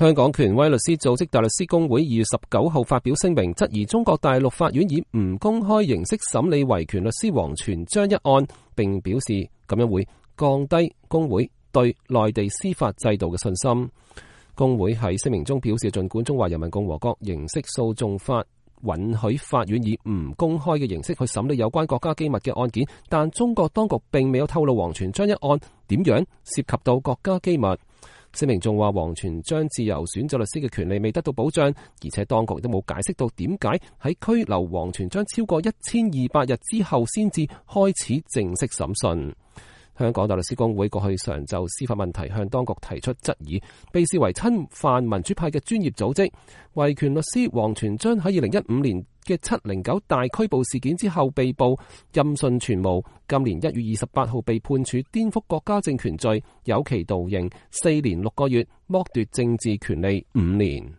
香港權威律師組織大律師公會2月19號發表聲明，質疑中國大陸法院以唔公開形式審理維權律師王全璋一案，並表示咁樣會降低公會對內地司法制度嘅信心。公會喺聲明中表示，儘管中華人民共和國刑事訴訟法允許法院以唔公開嘅形式去審理有關國家機密嘅案件，但中國當局並未有透露王全璋一案點樣涉及到國家機密。聲明仲話，王全璋自由選擇律師嘅權利未得到保障，而且當局都冇解釋到點解喺拘留王全璋超過1200日之後先至開始正式審訊。香港大律師公會過去常就司法問題向當局提出質疑，被視為親泛民主派嘅專業組織。維權律師王全璋喺2015年嘅709大拘捕事件之後被捕，音訊全無。今年1月28號被判處顛覆國家政權罪，有期徒刑4年6個月，剝奪政治權利5年。